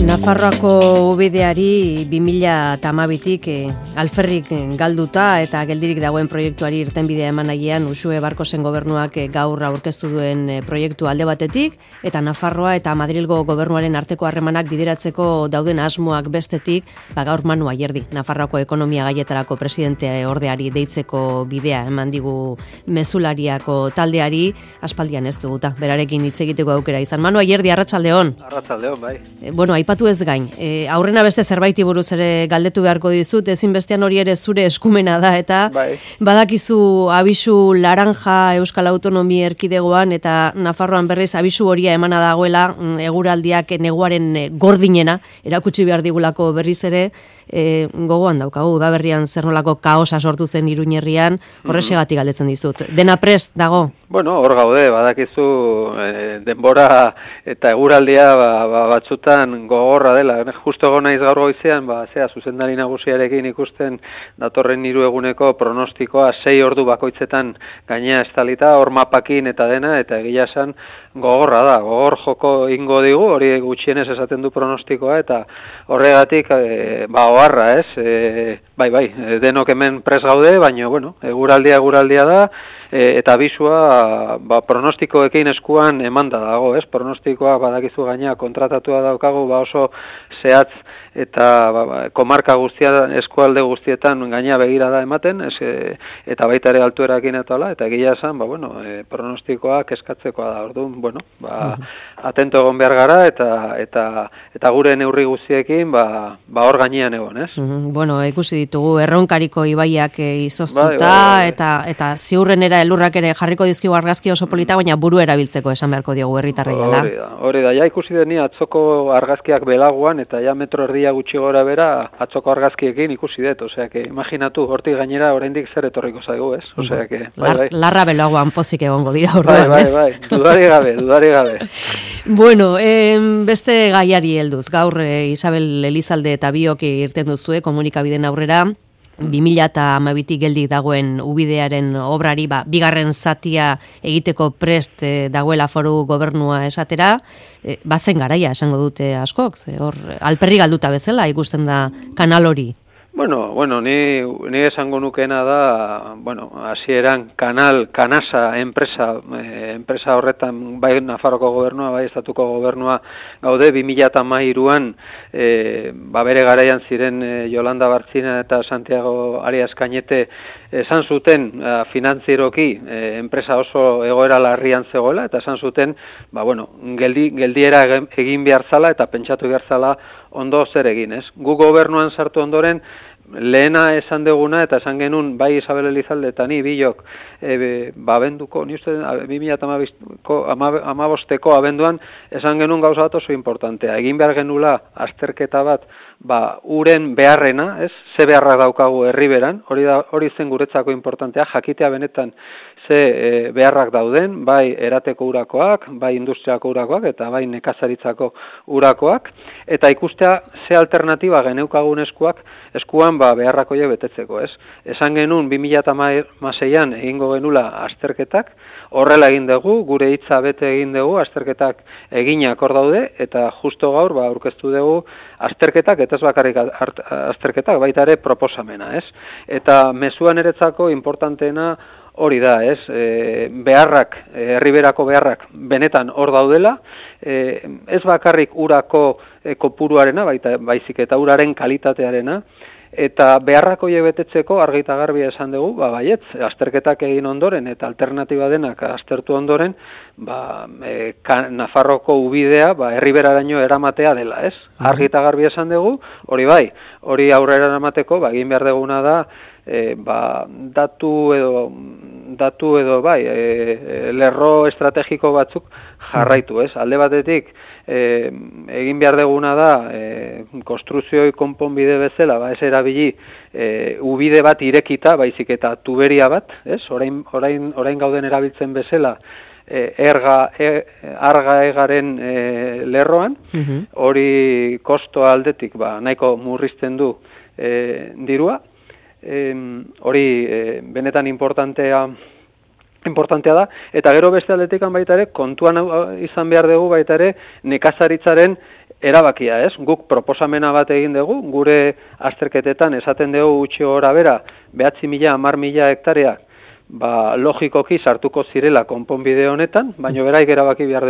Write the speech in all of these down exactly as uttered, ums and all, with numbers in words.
Nafarroako ubideari bi mila hamabitik eh, alferrik galduta eta geldirik dagoen proiektuari irtenbidea eman nahian Uxue Barkosen gobernuak eh, gaur aurkeztu duen eh, proiektu alde batetik eta Nafarroa eta Madrilgo gobernuaren arteko harremanak bideratzeko dauden asmoak bestetik, ba gaur Manu Ayerdi, Nafarroako ekonomia gaietarako presidente ordeari deitzeko bidea eman digu mezulariako taldeari, aspaldian ez duguta, berarekin hitz egiteko aukera izan. Manu Ayerdi, arratsaldeon. Arratsaldeon, bai. Eh, bueno, aipatu ez gain, e, aurrena beste zerbaiti buruz ere galdetu beharko dizut, ezinbestean hori ere zure eskumena da, eta bai. Badakizu abisu laranja Euskal Autonomia Erkidegoan eta Nafarroan berriz abisu horia emana dagoela, eguraldiak neguaren gordinena, erakutsi behar digulako berriz ere, e, gogoan daukagu, da berrian zer nolako kaosa sortu zen Iruñerrian, horrexegatik galdetzen dizut. Dena prest dago? Bueno, hor gaude, badakizu e, denbora eta eguraldia ba, ba, batzutan gogorra dela. Justo egon naiz gaur goizean, ba, zea, zuzendari nagusiarekin ikusten datorren hiru eguneko pronostikoa sei ordu bakoitzetan gainea estalita, hor mapakin eta dena, eta egia esan gogorra da, gogor joko ingo digu, hori gutxienez esaten du pronostikoa, eta horregatik, e, ba, oharra, ez? E, bai, bai, denok hemen pres gaude, baina, bueno, eguraldia eguraldia da, e, eta abisua, ba, pronostikoekin eskuan emanda dago, ez? Pronostikoa badakizu gainea kontratatua daukagu, ba, oso zehatz eta ba, ba, komarka guztia, eskualde guztietan gainea begira da ematen, ez, e, eta baita ere altuerakin eta hola, eta egia esan, ba, bueno, e, pronostikoak eskatzekoa da, orduan, bueno, ba, atento egon behar gara, eta eta eta gure neurri guztiekin, ba, ba hor gainean egon, ez? Bueno, ikusi ditugu, erronkariko ibaiak izoztuta, bai, bai, bai. eta eta ziurrenera elurrak ere jarriko dizkigu argazki oso polita, baina buru erabiltzeko esan beharko diogu herritarraiala. Hori da, hori da, ja ikusi deni atzoko argazkiak belaguan, eta ja metro erdia gutxi gora bera atzoko argazkiekin ikusi dut, osea, que imaginatu, hortik gainera oraindik zer etorriko zaigu, ez? Osea, que, bai, bai. Larra belaguan pozik egongo dira orduan, bai, ez? bai, bai, dudari gabe, dudari gabe. Bueno, eh, beste gaiari helduz, gaur eh, Isabel Elizalde eta biok irten duzue komunikabideen aurrera, bi mila hamabitik geldik dagoen ubidearen obrari, ba, bigarren zatia egiteko prest eh, dagoela foru gobernua esatera, eh, bazen garaia esango dute askok, ze hor alperri galduta bezala ikusten da kanal hori. Bueno, bueno, ni, ni esango nukeena da, bueno, hasieran kanal, kanasa, enpresa, eh, enpresa horretan, bai Nafarroko gobernua, bai estatuko gobernua, gaude, bi mila hamairuan, eh, ba bere garaian ziren eh, Yolanda Bartzina eta Santiago Arias Cañete esan zuten eh, finantzieroki eh, enpresa oso egoera larrian zegoela, eta esan zuten, ba bueno, geldi, geldiera egin behar zala eta pentsatu behar zala ondo zer egin, ez? Gu gobernuan sartu ondoren, lehena esan deguna, eta esan genuen, bai Isabel Elizalde eta ni bilok, e, ba, abenduko, ni uste, bi mila hamabosteko abenduan, esan genuen gauza bat oso importantea. Egin behar genula azterketa bat, ba, uren beharrena, ez? Ze beharra daukagu herriberan, hori da, hori zen guretzako importantea, jakitea benetan ze e, beharrak dauden, bai erateko urakoak, bai industriako urakoak, eta bai nekazaritzako urakoak, eta ikustea ze alternatiba geneukagun eskuak, eskuan ba, beharrak horiek betetzeko, ez? Esan genuen bi mila hamaseian egingo genula azterketak, horrela egin dugu, gure hitza bete egin dugu, azterketak eginak hor daude, eta justo gaur ba, aurkeztu dugu azterketak, eta ez bakarrik azterketak, baita ere proposamena, ez? Eta mezuan eretzako importanteena hori da, ez? E, beharrak, herriberako beharrak benetan hor daudela, e, ez bakarrik urako e, kopuruarena, baita, baizik eta uraren kalitatearena, eta beharrako horiek betetzeko argita garbi esan dugu, ba baietz, azterketak egin ondoren eta alternatiba denak aztertu ondoren, ba, e, ka, Nafarroko ubidea ba, herriberaraino eramatea dela, ez? Argita garbi esan dugu, hori bai, hori aurrera eramateko, ba, egin behar duguna da, e, ba, datu edo datu edo bai, e, lerro estrategiko batzuk jarraitu, ez? Alde batetik, e, egin behar duguna da, e, konstruzioi konponbide bezala, ba, ez erabili, e, ubide bat irekita, baizik eta tuberia bat, ez? Orain, orain, orain gauden erabiltzen bezala, e, erga, e, arga egaren e, lerroan, hori kosto aldetik, ba, nahiko murrizten du e, dirua, hori e, benetan importantea importantea da, eta gero beste aldetikan baita ere, kontuan izan behar dugu baita ere, nekazaritzaren erabakia, ez? Guk proposamena bat egin dugu, gure azterketetan esaten dugu gutxi gora bera, behatzi mila, hamar mila hektarea, ba, logikoki sartuko zirela konponbide honetan, baina beraik erabaki behar,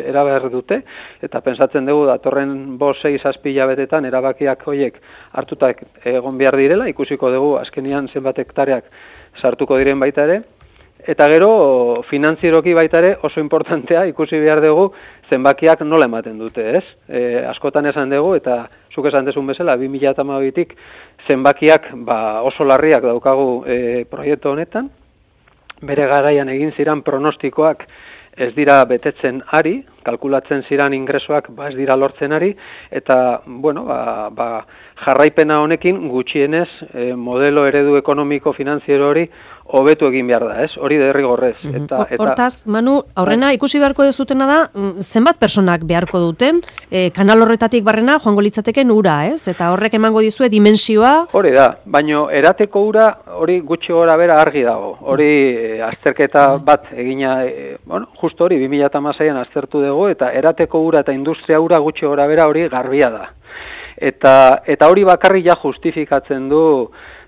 erabaki dute, eta pensatzen dugu datorren bost, sei, zazpi hilabetetan erabakiak horiek hartutak egon behar direla, ikusiko dugu azkenian zenbat hektareak sartuko diren baita ere, eta gero finantzieroki baita ere oso importantea ikusi behar dugu zenbakiak nola ematen dute, ez? E, askotan esan dugu, eta zuk esan dezun bezala, bi mila hamabitik zenbakiak ba, oso larriak daukagu e, proiektu honetan, bere garaian egin ziran pronostikoak ez dira betetzen ari, kalkulatzen ziran ingresoak ba ez dira lortzen ari, eta bueno, ba, ba, jarraipena honekin gutxienez e, modelo eredu ekonomiko finanziero hori hobetu egin behar da, ez? Hori derrigorrez. Eta, eta... Hortaz, Manu, aurrena ikusi beharko dezutena da, zenbat personak beharko duten, e, kanal horretatik barrena joango litzateken ura, ez? Eta horrek emango dizue dimensioa... Hori da, baino erateko ura hori gutxi gora bera argi dago. Hori e, azterketa bat egina, e, bueno, justo hori, bi mila hamaseian aztertu dugu, eta erateko ura eta industria ura gutxi gora bera hori garbia da. Eta, eta hori bakarri ja justifikatzen du...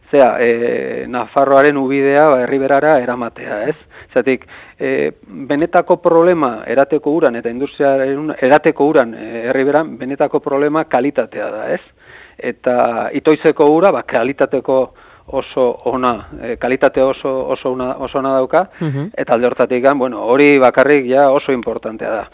Zea, e, Nafarroaren ubidea ba, herriberara eramatea, ez? Zatik, e, benetako problema erateko uran eta industriaren erateko uran e, herriberan, benetako problema kalitatea da, ez? Eta itoizeko ura, ba, kalitateko oso ona, e, kalitate oso oso ona, oso ona dauka, uh-huh. Eta alde hortatik, bueno, hori bakarrik ja oso importantea da.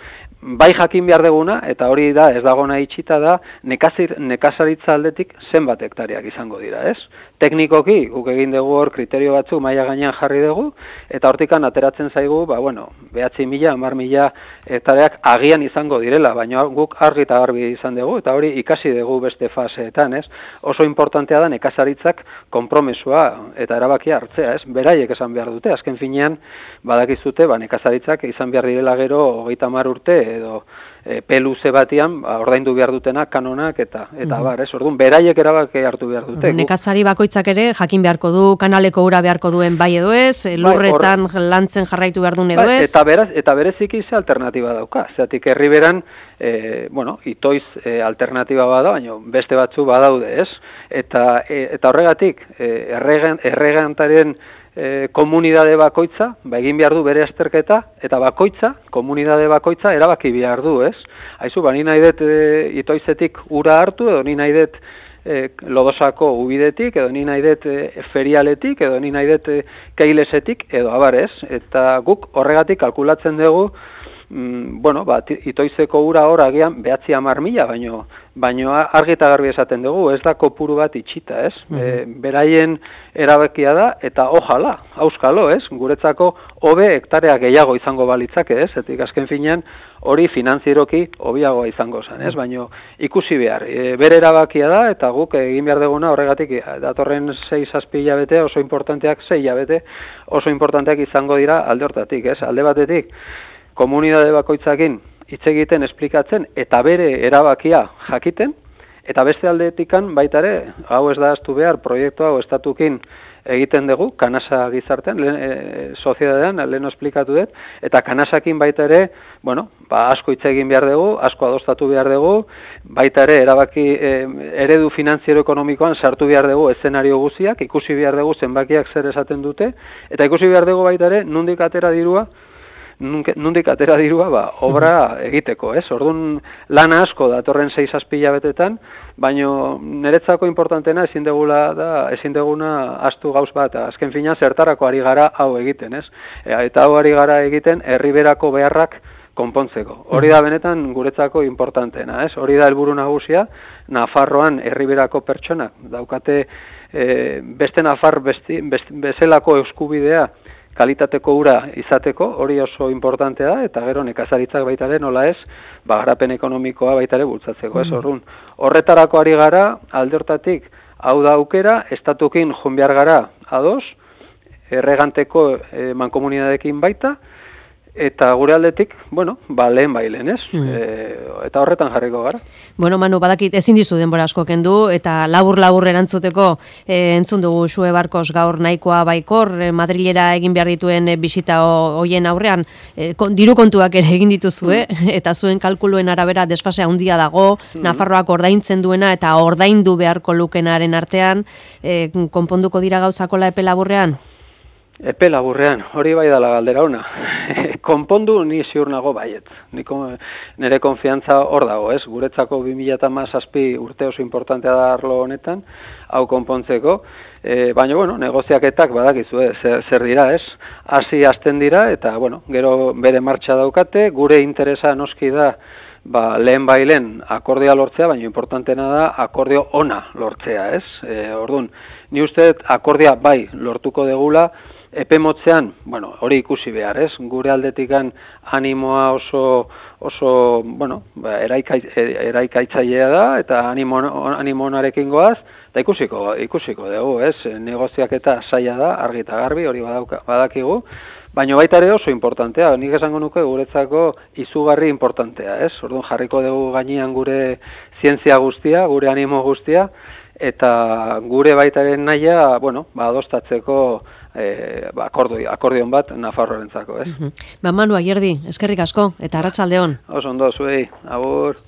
Bai jakin behar deguna, eta hori da, ez dagona itxita da, nekazir, nekazaritza aldetik zenbat hektareak izango dira, ez? Teknikoki, guk egin dugu hor kriterio batzuk maila gainean jarri dugu, eta hortikan ateratzen zaigu, ba, bueno, behatzi mila, hamar mila hektareak agian izango direla, baina guk argi eta garbi izan dugu, eta hori ikasi dugu beste faseetan, ez? Oso importantea da nekazaritzak konpromesua eta erabakia hartzea, ez? Beraiek esan behar dute, azken finean, badakizute, ba, nekazaritzak izan behar direla gero hogeita hamar urte, edo e, peluze batian ba, ordaindu behar dutenak kanonak eta eta bar, ez? Orduan beraiek erabaki hartu behar dute. Nekazari bakoitzak ere jakin beharko du kanaleko ura beharko duen bai edo ez, lurretan bai, lantzen jarraitu behar duen edo ez. Eta beraz, eta bereziki ze alternatiba dauka. Zeatik herriberan e, bueno, itoiz e, alternatiba bada, baina beste batzu badaude, ez? Eta e, eta horregatik e, erregan erregantaren E, komunidade bakoitza, ba, egin behar du bere azterketa, eta bakoitza, komunidade bakoitza, erabaki behar du, ez? Haizu, ba, ni nahi dut e, itoizetik ura hartu, edo ni nahi dut e, lodosako ubidetik, edo ni nahi dut e, ferialetik, edo ni nahi dut e, keilesetik, edo abar, ez? Eta guk horregatik kalkulatzen dugu, mm, bueno, ba, itoizeko ura hor agian behatzi hamar mila, baino, baino argi eta garbi esaten dugu, ez da kopuru bat itxita, ez? Mm-hmm. E, beraien erabakia da, eta ojala, auskalo, ez? Guretzako hobe hektarea gehiago izango balitzake, ez? Etik azken finean hori finanzieroki hobiagoa izango zen, ez? Baino ikusi behar, e, bere erabakia da, eta guk egin behar duguna horregatik datorren sei zazpi hilabete oso importanteak, sei hilabete oso importanteak izango dira alde hortatik, ez? Alde batetik, komunidade bakoitzakin hitz egiten, esplikatzen, eta bere erabakia jakiten, eta beste aldetikan baita ere, hau ez da ahaztu behar, proiektu hau estatukin egiten dugu, kanasa gizartean, lehen, e, soziedadean, lehen esplikatu dut, eta kanasakin baita ere, bueno, ba, asko hitz egin behar dugu, asko adostatu behar dugu, baita ere, erabaki, e, eredu finantziero ekonomikoan sartu behar dugu eszenario guziak, ikusi behar dugu zenbakiak zer esaten dute, eta ikusi behar dugu baita ere, nondik atera dirua, nondik atera dirua, ba, obra egiteko, ez? Orduan lana asko datorren sei zazpi hilabetetan, baino niretzako importantena ezin degula da, ezin deguna astu gauz bat, azken fina zertarako ari gara hau egiten, ez? E, eta hau ari gara egiten herriberako beharrak konpontzeko. Hori da benetan guretzako importanteena, ez? Hori da helburu nagusia, Nafarroan herriberako pertsonak daukate e, beste Nafar besti, best, bezalako eskubidea kalitateko ura izateko, hori oso importantea da, eta gero nekazaritzak baita ere, nola ez, ba, garapen ekonomikoa baita ere bultzatzeko, ez horrun. Horretarako ari gara, alde hortatik, hau da aukera, estatukin joan behar gara ados, erreganteko e, mankomunidadekin baita, Eta gure aldetik, bueno, ba, lehen bailen, ez? Mm. E, eta horretan jarriko gara. Bueno, Manu, badakit ezin dizu denbora asko kendu, eta labur-labur erantzuteko e, entzun dugu Xue Barkos gaur nahikoa baikor, e, Madrilera egin behar dituen e, bisita hoien aurrean, e, kon, diru kontuak ere egin dituzue, mm. eta zuen kalkuluen arabera desfase handia dago, mm. Nafarroak ordaintzen duena eta ordaindu beharko lukenaren artean, e, konponduko dira gauzakola epe laburrean? Epe laburrean, hori bai dala galdera ona. Konpondu ni ziur nago baiet. Niko, nire konfiantza hor dago, ez? Guretzako bi mila hamazazpi urte oso importantea da arlo honetan, hau konpontzeko. E, baina, bueno, negoziaketak badakizu, eh? zer, zer dira, ez? Hasi hasten dira, eta, bueno, gero bere martxa daukate, gure interesa noski da, ba, lehen bailen akordioa lortzea, baina importantena da akordio ona lortzea, ez? E, orduan, ni uste akordioa bai lortuko degula, epe motzean, bueno, hori ikusi behar, ez? Gure aldetikan animoa oso, oso bueno, ba, eraika, eraikaitzailea da, eta animo, animo onarekin goaz, eta ikusiko, ikusiko dugu, ez? Negoziaketa zaila da, argi eta garbi, hori badauka, badakigu, baina baita ere oso importantea, nik esango nuke guretzako izugarri importantea, ez? Orduan jarriko dugu gainean gure zientzia guztia, gure animo guztia, eta gure baitaren nahia, bueno, ba, adostatzeko eh, ba, akordio, akordion bat Nafarroarentzako, ez? Ba, Manu Ayerdi, eskerrik asko, eta arratsalde on. Oso ondo, zuei, agur.